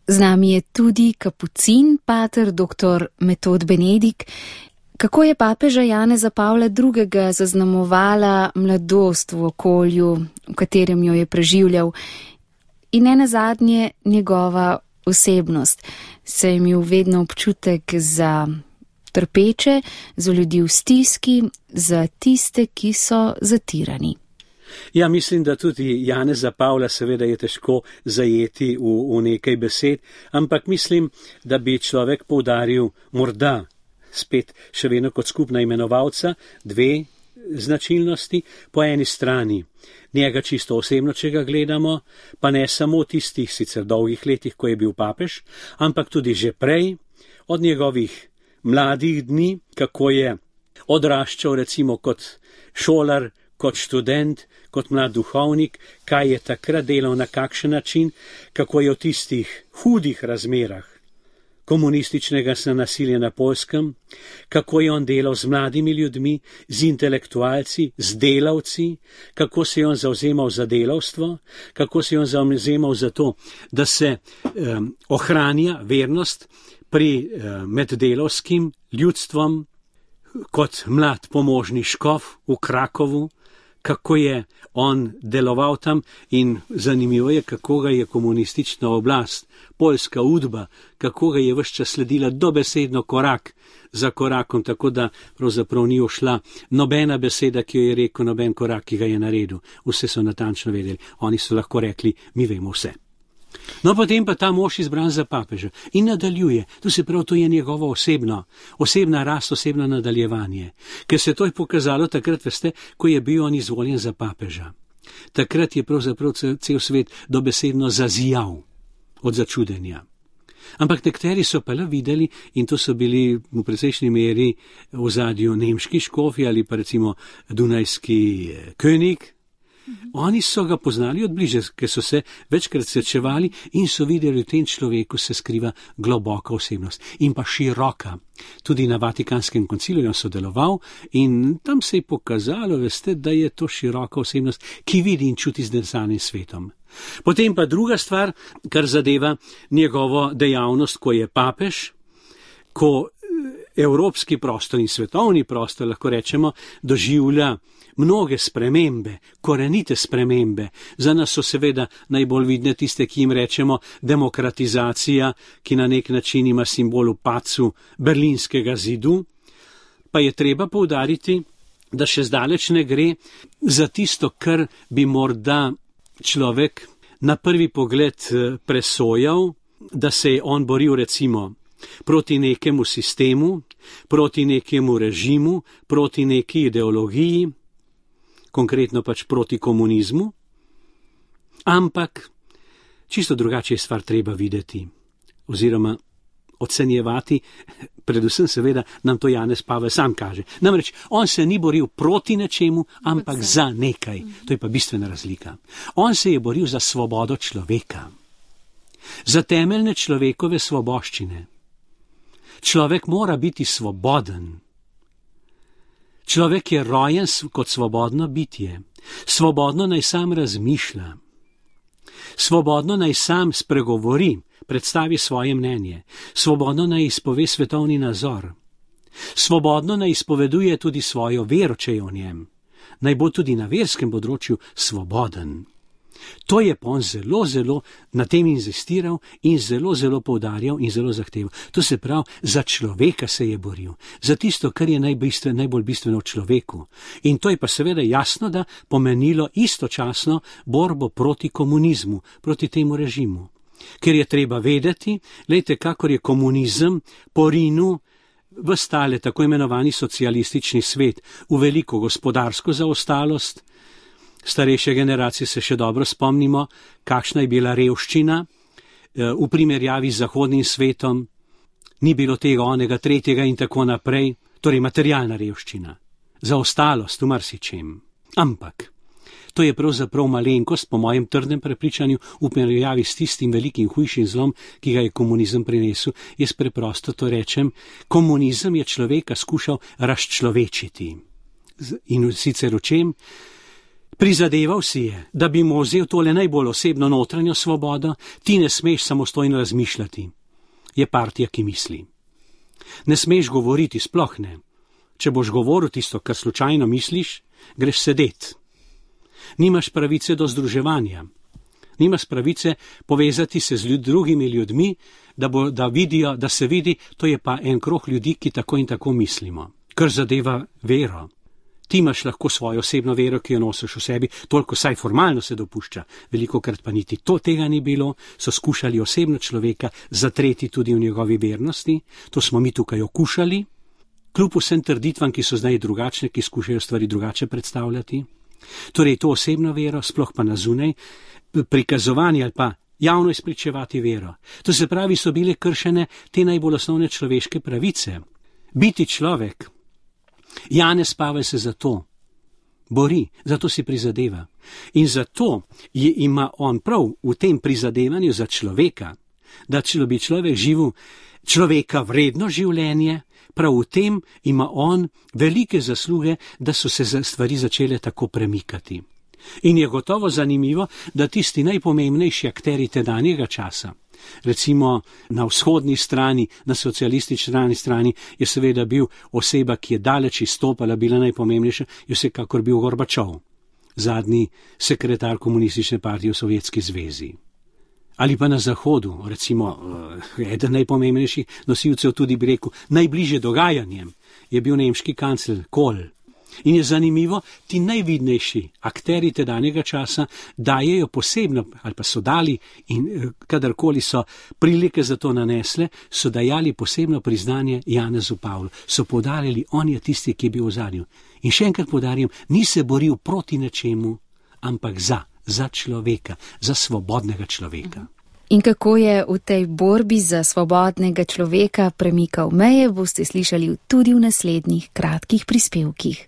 Z nami je tudi kapucin, pater dr. Metod Benedik. Kako je papeža Janeza Pavla II. Zaznamovala mladost v okolju, v katerem jo je preživljal, in ne nazadnje njegova osebnost? Se je imel vedno občutek za trpeče, za ljudi v stiski, za tiste, ki so zatirani. Ja, mislim, da tudi Janeza Pavla seveda je težko zajeti v nekaj besed, ampak mislim, da bi človek poudaril morda spet še vedno kot skupna imenovalca dve značilnosti. Po eni strani njega čisto osebno, če ga gledamo, pa ne samo v tistih sicer dolgih letih, ko je bil papež, ampak tudi že prej, od njegovih mladih dni, kako je odraščal recimo kot šolar, kot študent, kot mlad duhovnik, kaj je takrat delal, na kakšen način, kako je v tistih hudih razmerah komunističnega nasilja na Poljskem, kako je on delal z mladimi ljudmi, z intelektualci, z delavci, kako se je on zavzemal za delavstvo, kako se je on zavzemal za to, da se ohranja vernost med delavskim ljudstvom, kot mlad pomožni škof v Krakovu, kako je on deloval tam, in zanimivo je, kako ga je komunistična oblast, poljska udba, kako ga je ves čas sledila dobesedno korak za korakom, tako da pravzaprav ni ušla nobena beseda, ki jo je rekel, noben korak, ki ga je naredil. Vse so natančno vedeli. Oni so lahko rekli, mi vemo vse. No, potem pa ta mož izbran za papeža in nadaljuje. To se pravi, to je njegovo osebna rast, osebno nadaljevanje. Ker se to je pokazalo takrat, veste, ko je bil on izvoljen za papeža. Takrat je pravzaprav cel svet dobesedno zazijal od začudenja. Ampak nekateri so pa le videli, in to so bili v precejšnji meri v ozadju nemški škofi ali pa recimo dunajski könig. Oni so ga poznali od bliže, ker so se večkrat srečevali in so videli, v tem človeku se skriva globoka osebnost in pa široka. Tudi na Vatikanskem koncilu je sodeloval in tam se je pokazalo, veste, da je to široka osebnost, ki vidi in čuti z neznanim svetom. Potem pa druga stvar, kar zadeva njegovo dejavnost, ko je papež, ko evropski prostor in svetovni prostor, lahko rečemo, doživlja mnoge spremembe, korenite spremembe. Za nas so seveda najbolj vidne tiste, ki jim rečemo demokratizacija, ki na nek način ima simbol v padcu berlinskega zidu, pa je treba poudariti, da še zdaleč ne gre za tisto, kar bi morda človek na prvi pogled presojal, da se je on boril recimo proti nekemu sistemu, proti nekemu režimu, proti neki ideologiji, konkretno pač proti komunizmu, ampak čisto drugače je stvar treba videti oziroma ocenjevati, predvsem seveda nam to Janez Pavel sam kaže. Namreč on se ni boril proti nečemu, ampak za nekaj. To je pa bistvena razlika. On se je boril za svobodo človeka, za temeljne človekove svoboščine. Človek mora biti svoboden. Človek je rojen kot svobodno bitje. Svobodno naj sam razmišlja. Svobodno naj sam spregovori, predstavi svoje mnenje. Svobodno naj izpove svetovni nazor. Svobodno naj izpoveduje tudi svojo vero, če je v njem. Naj bo tudi na verskem področju svoboden. To je pa on zelo na tem inzistiral in zelo poudarjal in zelo zahteval. To se pravi, za človeka se je boril, za tisto, kar je najbolj bistveno v človeku. In to je pa seveda jasno, da pomenilo istočasno borbo proti komunizmu, proti temu režimu. Ker je treba vedeti, glejte, kakor je komunizem porinil v stale tako imenovani socialistični svet, v veliko gospodarsko zaostalost. Starejše generacije se še dobro spomnimo, kakšna je bila revščina v primerjavi z zahodnim svetom. Ni bilo tega, onega, tretjega in tako naprej, torej materialna revščina, zaostalost v marsičem. Ampak to je pravzaprav malenkost, po mojem trdnem prepričanju, v primerjavi s tistim velikim hujšim zlom, ki ga je komunizem prinesel. Jaz preprosto to rečem, komunizem je človeka skušal razčlovečiti. In sicer v čem? Prizadeval si je, da bi mu vzel tole najbolj osebno notranjo svobodo, ti ne smeš samostojno razmišljati. Je partija, ki misli. Ne smeš govoriti, sploh ne. Če boš govoril tisto, kar slučajno misliš, greš sedet. Nimaš pravice do združevanja. Nimaš pravice povezati se z drugimi ljudmi, da vidijo, da se vidi, to je pa en krog ljudi, ki tako in tako mislimo. Kar zadeva vero. Ti imaš lahko svojo osebno vero, ki jo nosiš v sebi, toliko saj formalno se dopušča. Velikokrat pa niti tega ni bilo, so skušali osebno človeka zatreti tudi v njegovi vernosti, to smo mi tukaj okušali, kljub vsem trditvam, ki so zdaj drugačne, ki skušajo stvari drugače predstavljati. Torej to osebno vero, sploh pa na zunaj, prikazovanje ali pa javno izpričevati vero. To se pravi, so bile kršene te najbolj osnovne človeške pravice. Biti človek. Janez Pavel se zato bori, zato si prizadeva. In zato ima on prav v tem prizadevanju za človeka, da bi človek živel človeka vredno življenje, prav v tem ima on velike zasluge, da so se stvari začele tako premikati. In je gotovo zanimivo, da tisti najpomembnejši akteri tedanjega časa, recimo na vzhodni strani, na socialistični strani, je seveda bil oseba, ki je daleč izstopala, bila najpomembnejša, je vsekakor bil Gorbačov, zadnji sekretar komunistične partije v Sovjetski zvezi. Ali pa na zahodu, recimo eden najpomembnejših nosilcev, tudi bi rekel, najbliže dogajanjem, je bil nemški kancler Kohl. In je zanimivo, ti najvidnejši akteri tedanjega časa dajejo posebno, ali pa so dali, in kadarkoli so prilike za to nanesle, so dajali posebno priznanje Janezu Pavlu. So poudarjali, on je tisti, ki je bil v zadnju. In še enkrat poudarjam, ni se boril proti nečemu, ampak za človeka, za svobodnega človeka. In kako je v tej borbi za svobodnega človeka premikal meje, boste slišali tudi v naslednjih kratkih prispevkih.